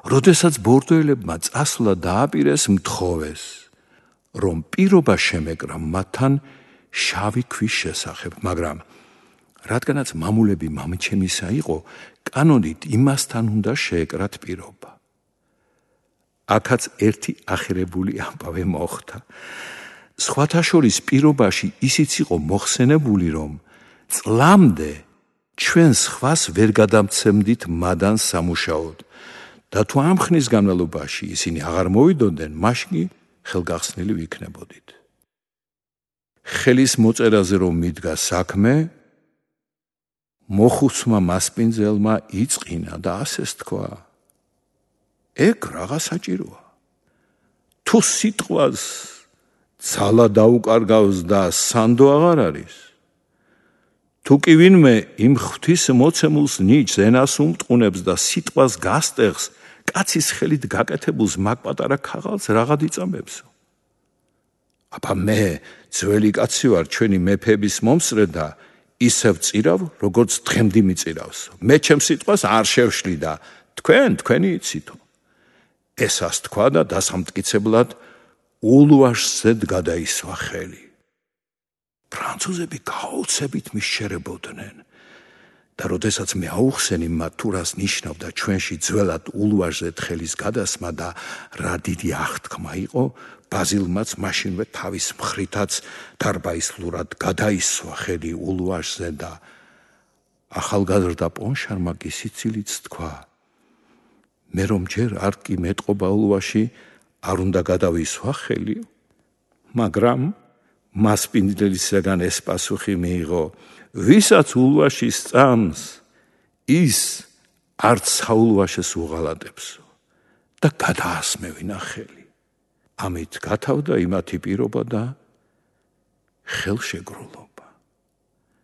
როდესაც ბორდოელებმა წასვლა დააპირეს, მთხოვეს, რომ პირობა შემეკრა მათთან შავი ქვის შესახებ, მაგრამ რადგანაც მამულები მამჩემისა იყო, კანონით იმასთან უნდა შეეკრათ პირობა. აქაც ერთი ახირებული ამბავი მოხდა. სხვათა შორის პირობაში ისიც იყო მოხსენებული, რომ წლამდე ჩვენ სხვას ვერ გადამცემდით მადანს სამუშაოდ და თუ ამ ხნის განმავლობაში ისინი აღარ მოვიდოდნენ, მაშინ ხელგახსნილი ვიქნებოდით. ხელის მოწერაზე რომ მიდგა საქმე, მოხუცმა მასპინძელმა იწყინა და ასეს თქვა: ეგ რაღა საჭიროა. თუ სიტყვას ძალა დაუკარგავს და სანდო აღარ არის, თუ კი ვინმე იმ ღვთის მოცემულს ნიჭს ენას უმტყუნებს და სიტყვას გასტეხს, კაცის ხელით გაკეთებულს მაგ პატარა ქაღალდს რაღაც იწამებსო. აბა მე ძველი კაცი ვარ, ჩვენი მეფეების მომსწრე და ისევ წირავ, როგორც დღემდე მიწირავსო. მე ჩემს სიტყვას არ შევშლი და თქვენი იცითო. ესას თქვა და დასამტკიცებლად ულვაშზედ გადაისვა ხელი. ფრანცუზები გაოცებით მისჩერებოდნენ და როდესაც მე აუხსენი მათ თუ რას ნიშნავდა ჩვენში ძველად ულვაშზედ ხელის გადასმა და რა დიდი აღთქმა იყო, ბაზილმაც მაშინვე თავის მხრითაც დარბაისლურად გადაისვა ხელი ულვაშზე და ახალგაზრდა პონშარმა კი სიცილით თქვა: მე რომ ჯერ არ კი მეტყობა ულვაში, არ უნდა გადავისვა ხელი? მაგრამ მასპინძელისაგან ეს პასუხი მიიღო: ვისაც ულვაში სწამს, ის არც საულვაშეს უღალატებსო და გადაასმევინა ხელი. ამით გათავდა იმათი პირობა და ხელშეგრულობა.